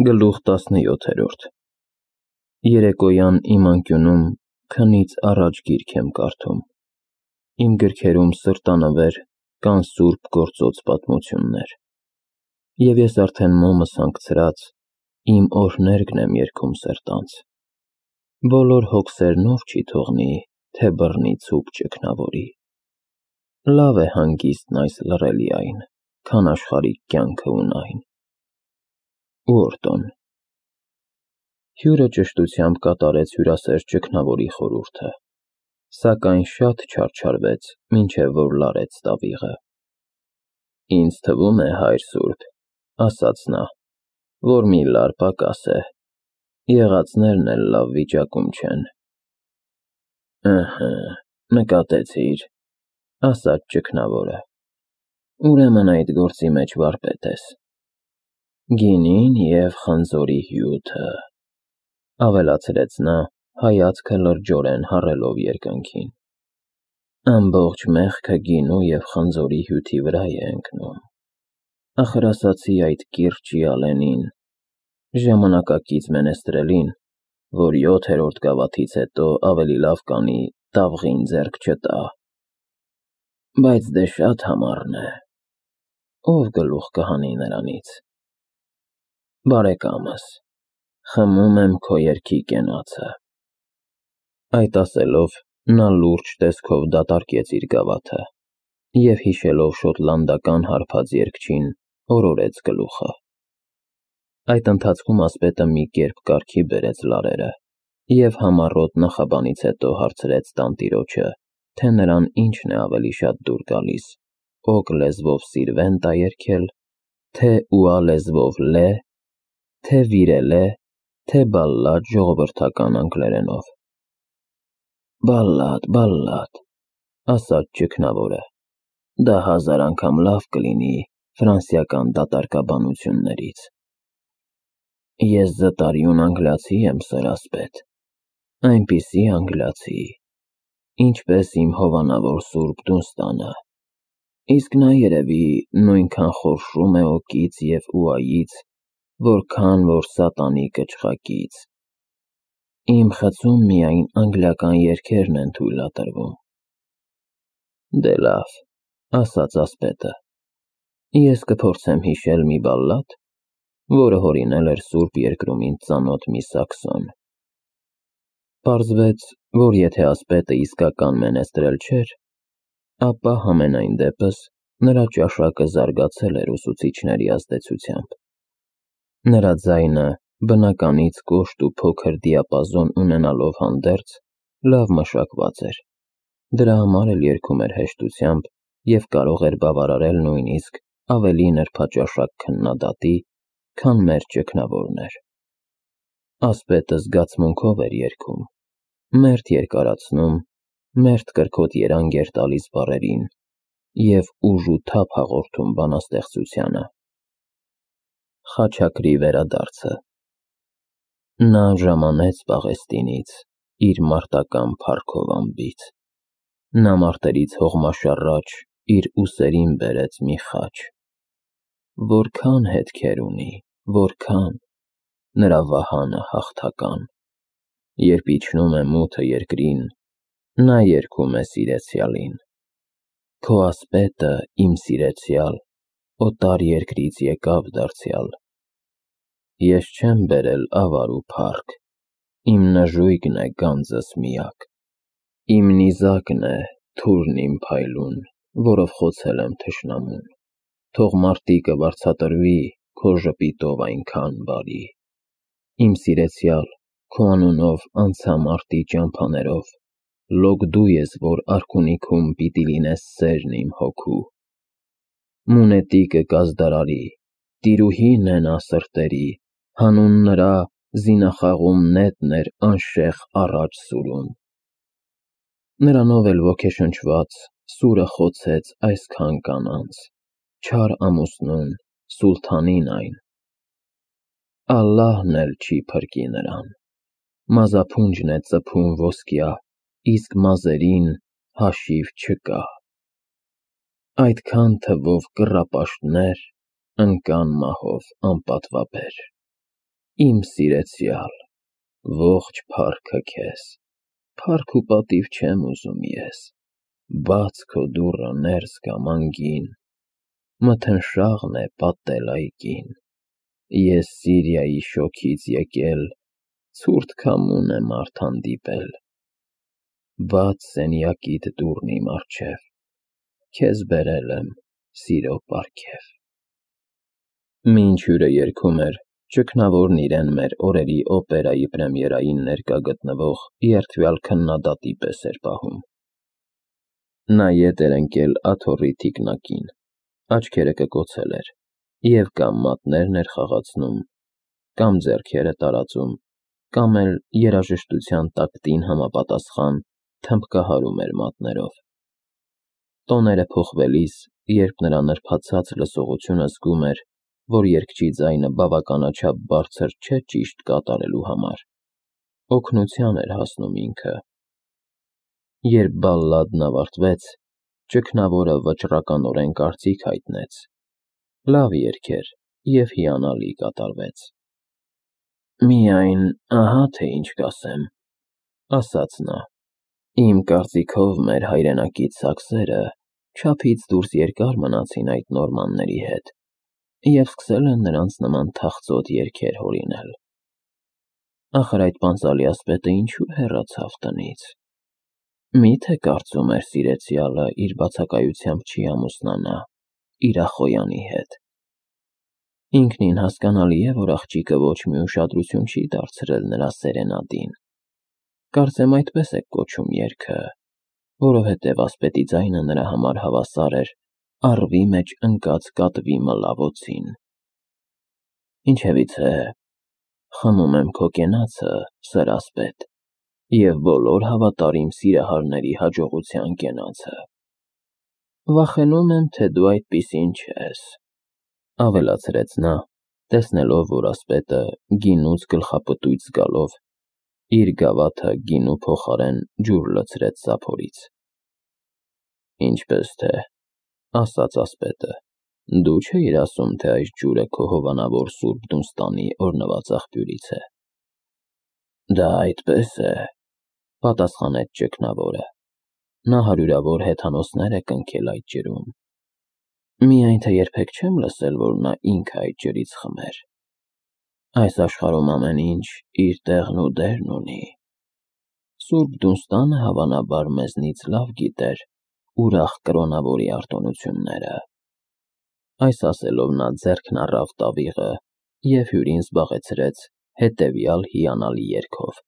Գլուխ 17 Երեկոյան իմ անկյունում քնից առաջ գիրք եմ կարդում, իմ գրքերում սրտանվեր կան սուրբ գործոց պատմություններ, և ես արդեն մոմս հանգցրած իմ օրհներգն եմ երգում սրտանց, բոլոր հոգսերնով չի թողնի, թե բռնի ցուպ ճգնավորի, լավ է հանգիստն այս լռելի այն, քան աշխարհիկ կյանքը ունայն, Ուորտոն Հյուրը ճշտությամբ կատարեց հյուրասեր ճգնավորի խորհուրդը, սակայն շատ չարչարվեց, մինչև որ լարեց տավիղը: Ինձ թվում է, հայր սուրբ, ասաց նա, որ մի լար պակաս է, եղածներն էլ լավ վիճակում չեն: Ըհը, նկատեցի՞ր, ասաց ճգնավորը, ուրեմն այդ գործի մեջ վարպետ ես: Գինին և խնձորի հյութը, ավելացրեց նա, հայացքը լրջորեն հառելով երկնքին: Ամբողջ մեղքը գինու և խնձորի հյութի վրա է ընկնում: Ախր ասացի այդ կիրճի ալենին, ժամանակակից մենեստրելին, որ 7-րդ գավաթից հետո ավելի լավ կանի տավղին ձեռք չտա: Բայց դե շատ համառն է, ով գլուխ կհանի նրանից: Բարեկամս, խմում եմ քո երգի կենացը: Այդ ասելով, նա լուրջ տեսքով դատարկեց իր գավաթը և հիշելով շոտլանդական հարբած երգչին, օրորեց գլուխը: Այդ ընթացքում ասպետը մի կերպ կարգի բերեց լարերը և համառոտ նախաբանից հետո հարցրեց տանտիրոջը, թե նրան ինչն է ավելի շատ դուր գալիս, օգ լեզվով սիրվենտա երգել, թե ուա լեզվով լե, թե վիրելե, թե բալլադ ժողովրդական անգլերենով: Բալլադ, ասաց ճգնավորը, դա 1000 անգամ լավ կլինի ֆրանսիական դատարկաբանություններից: Ես զտարյուն անգլիացի եմ, սըր ասպետ, այնպիսի անգլիացի, ինչպես իմ հովանավոր սուրբ Դունստանը, իսկ նա երևի նույնքան խորշում է օկից և ուայից, որքան որ սատանի կչխակից: Իմ խցում միայն անգլիական երգերն են թույլատրվում: Դե լավ, ասաց ասպետը, ես կփորձեմ հիշել մի բալլադ, որը հորինել էր սուրբ երկրում ինձ ծանոթ մի սաքսոն: Պարզվեց, որ եթե ասպետը իսկական մենեստրել չէր, ապա համենայն դեպս նրա ճաշակը զարգացել էր ուսուցիչների ազդեցությամբ: Նրա ձայնը, բնականից կոշտ ու փոքր դիապազոն ունենալով հանդերձ, լավ մշակված էր, դրա համար էլ երգում էր հեշտությամբ և կարող էր բավարարել նույնիսկ ավելի նրբաճաշակ քննադատի, քան մեր ճգնավորն էր: Ասպետը զգացմունքով էր երգում, մերթ երկարացնում, մերթ կրքոտ երանգ էր տալիս բառերին և ուժ ու թափ հաղորդում բանաստեղծությանը: Խաչակրի վերադարձը Նա ժամանեց Պաղեստինից, իր մարտական փառքով անբիծ: Նա մարտերից հողմաշառաջ իր ուսերին բերեց մի խաչ: Որքան հետքեր ունի, որքան, նրա վահանը հաղթական: Երբ իջնում է մութը երկրին, նա երգում է սիրեցյալին: Քո ասպետը, իմ սիրեցյալ, օտար երկրից եկավ դարձյալ: Ես չեմ բերել ավար ու փառք, իմ նժույգն է գանձս միակ: Իմ նիզակն է, թուրն իմ փայլուն, որով խոցել եմ թշնամուն: Թող մարտիկը վարձատրվի քո ժպիտով այնքան բարի: Իմ սիրեցյալ, քո անունով անցա մարտի ճամփաներով, լոկ դու ես, որ արքունիքում պիտի լինես սերն իմ հոգու: Մունետիկը կազդարարի, տիրուհին է նա սրտերի, Հանուն նրա զինախաղում նետն էր անշեղ առաջ սուրում: Նրանով էլ ոգեշնչված, սուրը խոցեց այսքան կանանց, Չար ամուսնուն, սուլթանին այն: Ալլահն էլ չի փրկի նրան, մազափունջն է ծփում ոսկյա, Իսկ մազերին հաշիվ չկա: Այդքան թվով կռապաշտներ ընկան մահով անպատվաբեր: Իմ սիրեցյալ, ողջ փառքը քեզ, փառք ու պատիվ չեմ ուզում ես, բաց քո դուռը ներս գամ անգին, մթնշաղն է պատել այգին, ես Սիրիայի շոգից եկել, ցուրտ քամուն եմ արդ հանդիպել, բաց սենյակիդ դուռն իմ առջև, քեզ բերել եմ սիրո պարգև։ Մինչ հյուրը երգում էր, ճգնավորն իրեն մեր օրերի օպերայի պրեմիերային ներկա գտնվող երդվյալ քննադատի պես էր պահում։ Նա ետ էր ընկել աթոռի թիկնակին, աչքերը կկոցել էր, և կամ մատներն էր խաղացնում, կամ ձեռքերը տարածում, կամ էլ երաժշտության տակտին համապատասխան թմբկահարում էր մատներով։ Տոները փոխվելիս, երբ նրա նրբացած լսողությունը զգում էր, որ երգչի ձայնը բավականաչափ բարձր չէ ճիշտ կատարելու համար, օգնության էր հասնում ինքը։ Երբ բալլադն ավարտվեց, ճգնավորը վճռականորեն կարծիք հայտնեց. լավ երգ էր և հիանալի կատարվեց։ Միայն ահա թե ինչ կասեմ, ասաց նա, իմ կարծիքով մեր հայրենակից սաքսերը չափից դուրս երկար մնացին այդ նորմանների հետ և սկսել են նրանց նման թախծոտ երգեր հորինել։ Ախր այդ պանծալի ասպետը ինչու հեռացավ տնից։ Մի՞թե կարծում էր սիրեցյալը իր բացակայությամբ չի ամուսնանա իր ախոյանի հետ։ Ինքնին հասկանալի է, որ աղջիկը ոչ մի ուշադրություն չի դարձրել նրա սերենադին։ Կարծեմ այդպես է կոչում երգը, որովհետև ասպետի ձայնը նրա համար հավասար էր առվի մեջ ընկած կատվի մլավոցին։ Ինչևիցե, խմում եմ քո կենացը, սրասպետ, և բոլոր հավատարիմ սիրահարների հաջողության կենացը։ Վախենում եմ, թե դու այդպիսին չես, ավելացրեց նա, տեսնելով, որ ասպետը գինուց գլխապտույտ զգալով, իր գավաթը գինու փոխարեն ջուր լցրեց սափորից։ Ինչպես թե, ասաց ասպետը, դու չէիր ասում, թե այս ջուրը քո հովանավոր Սուրբ Դունստանի օրհնված աղբյուրից է։ Դա այդպես է, պատասխանեց ճգնավորը, նա հարյուրավոր հեթանոսներ է կնքել այդ ջրում։ Միայն թե երբեք չեմ լսել, որ նա ինքը այդ ջրից խմեր։ Այս աշխարհում ամեն ինչ իր տեղն ու դերն ունի։ Սուրբ Դունստանը հավանաբար մեզնից լավ գիտեր ուրախ կրոնավորի արտոնությունները։ Այս ասելով նա ձեռքն առավ տավիղը և հյուրին զբաղեցրեց հետևյալ հիանալի երգով,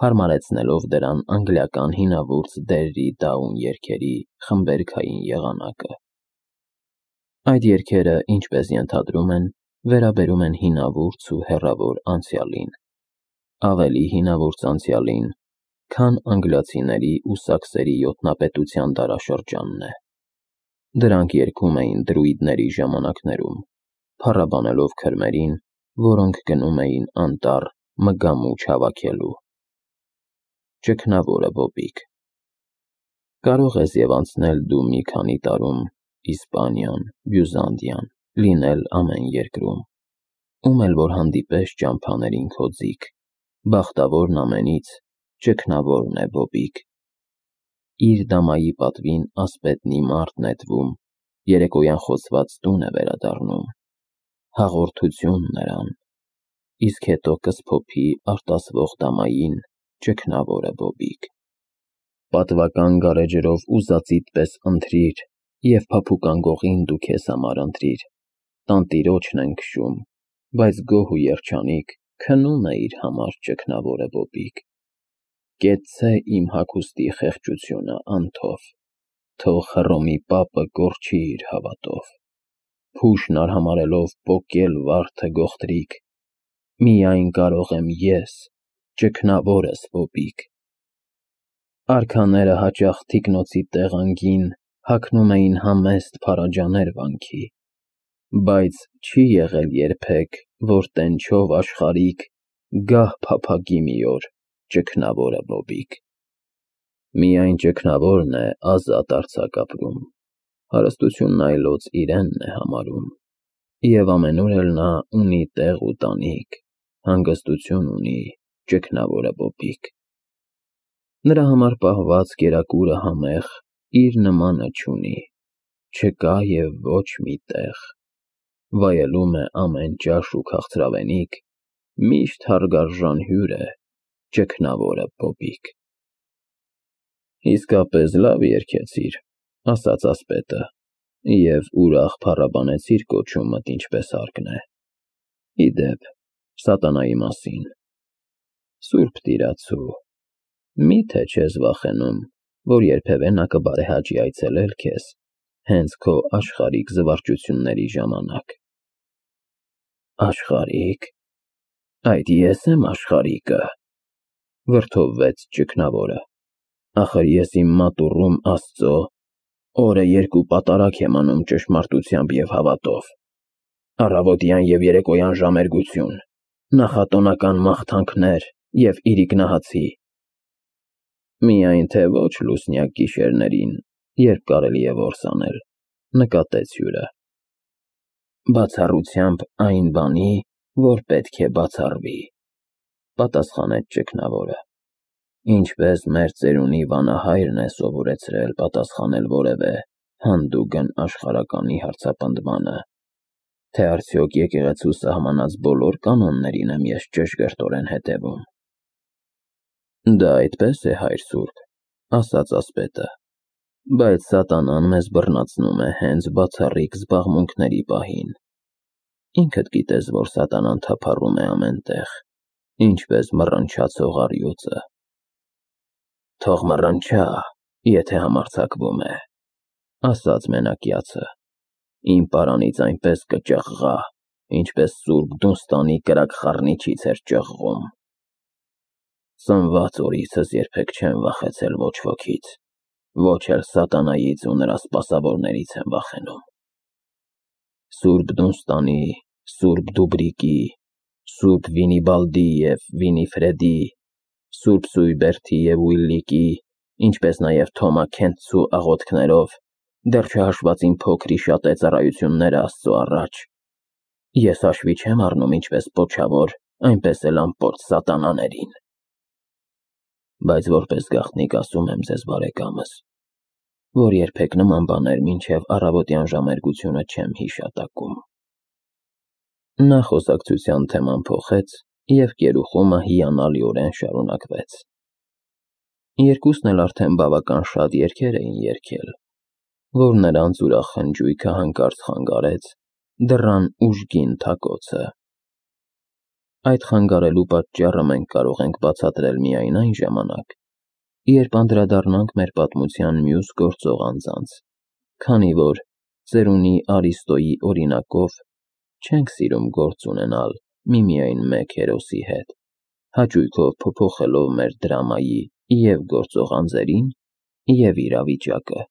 հարմարեցնելով դրան անգլիական հինավուրց դերրի դաուն երգերի խմբերգային եղանակը։ Այդ երգերը, ինչպես ենթադրում են, վերաբերում են հինավուրց ու հեռավոր անցյալին, ավելի հինավուրց անցյալին, քան անգլիացիների ու սաքսերի յոթնապետության դարաշրջանն է։ Դրանք երգում էին դրուիդների ժամանակներում, փառաբանելով քրմերին, որոնք գնում էին անտառ մգամուջ հավաքելու։ Ճգնավորը Բոբիկ։ Կարող ես և անցնել դու մի քանի տարում Իսպանիան, Բյուզանդիան, լինել ամեն երկրում, ում էլ որ հանդիպես ճամփաներին քո ձիգ, բախտավորն ամենից, ճգնավորն է Բոբիկ։ Իր դամայի պատվին ասպետն ի մարտ նետվում, երեկոյան խոցված տուն է վերադառնում, հաղորդություն նրան, իսկ հետո կսփոփի արտասվող դամային, ճգնավորը Բոբիկ։ Պատվական գարեջրով ուզածիդ պես ընթրիր և փափուկ անգողին դու քեզ համար ընտրիր, տանտիրոջն են քշում, բայց գոհ ու երջանիկ քնում է իր համար ճգնավորը Բոբիկ։ Կեցցե իմ հագուստի խեղճությունը անթով, թող Հռոմի պապը կորչի իր հավատով, փուշն արհամարհելով պոկել վարդը գողտրիկ, միայն կարող եմ ես, ճգնավորս Բոբիկ։ Արքաները հաճախ թիկնոցի տեղանգին հագնում էին համեստ փարաջաներ վանքի, բայց չի եղել երբեք, որ տենչով աշխարհիկ գահ փափագի մի օր ճգնավորը Բոբիկ։ Միայն ճգնավորն է ազատ արձակ ապրում, հարստությունն այլոց իրենն է համարում, և ամենուր էլ նա ունի տեղ ու տանիք, հանգստություն ունի ճգնավորը Բոբիկ։ Նրա համար պահված կերակուրը համեղ իր նմանը չունի, չկա և ոչ մի տեղ, վայելում է ամեն ճաշ ու քաղցրավենիք, միշտ հարգարժան հյուր է ճգնավորը Բոբիկ։ Իսկապես լավ երգեցիր, ասաց ասպետը, և ուրախ փառաբանեցիր կոչումդ ինչպես հարկն է։ Ի դեպ, սատանայի մասին։ Սուրբ տիրացու, միթե չես վախենում, որ երբևէ նա կբարեհաճի այցելել քեզ հենց քո աշխարհիկ զվարճությունների ժամանակ։ Աշխարհիկ։ Այդ ես եմ աշխարհիկը, վրդովվեց ճգնավորը։ Ախր ես իմ մատուռում Աստծո օրը երկու պատարագ եմ անում ճշմարտությամբ և հավատով, առավոտյան և երեկոյան ժամերգություն, նախատոնական մաղթանքներ և իրիկնահացի։ Միայն թե ոչ լուսնյակ գիշերներին, երբ կարելի է որս անել, նկատեց հյուրը։ Բացառությամբ այն բանի, որ պետք է բացառվի, պատասխանեց ճգնավորը։ Ինչպես մեր ծերունի վանահայրն է սովորեցրել պատասխանել որևէ հանդուգն աշխարհականի հարցապնդմանը, թե արդյոք եկեղեցու սահմանած բոլոր կանոններին եմ ես ճշգրտորեն հետևում։ Դա այդպես է, հայր սուրբ, ասաց ասպետը, բայց սատանան մեզ բռնացնում է հենց բացառիկ զբաղմունքների պահին։ Ինքդ գիտես, որ սատանան թափառում է ամեն տեղ, ինչպես մռնչացող առյուծը։ Թող մռնչա, եթե համարձակվում է, ասաց մենակյացը, իմ պարանից այնպես կճղղա, ինչպես սուրբ Դունստանի կրակ խառնիչից էր ճղղում։ Ծնված օրիցս երբեք չեմ վախեցել ոչ ոքից, ոչ էլ սատանայից ու նրա սպասավորներից եմ վախենում։ Սուրբ Դունստանի, սուրբ Դուբրիկի, սուրբ Վինիբալդի և Վինիֆրեդի, սուրբ Սույբերթի և Ուիլլիկի, ինչպես նաև Թոմա Քենթսու աղոթքներով դեռ չհաշված իմ փոքրի շատե ծառայությունները Աստծո առաջ, ես հաշվի չեմ առնում ինչպես պոչավոր, այնպես էլ անպործ սատանաներին։ Բայց որպես գաղտնիք ասում եմ ձեզ, բարեկամս, որ երբեք նման բաներ մինչև առավոտյան ժամերգությունը չեմ հիշատակում։ Նա խոսակցության թեման փոխեց, և կերուխումը հիանալիորեն շարունակվեց։ Երկուսն էլ արդեն բավական շատ երգեր էին երգել, որ նրանց ուրախ խնջույքը հանկարծ խանգարեց դռան ուժգին թակոցը։ Այդ խանգարելու պատճառը մենք կարող ենք բացատրել միայն այն ժամանակ, երբ անդրադառնանք մեր պատմության մյուս գործող անձանց, քանի որ ծերունի Արիստոյի օրինակով չենք սիրում գործ ունենալ միմիայն մեկ հերոսի հետ, հաճույքով փոփոխելով մեր դրամայի և գործող անձերին, և իրավիճակը։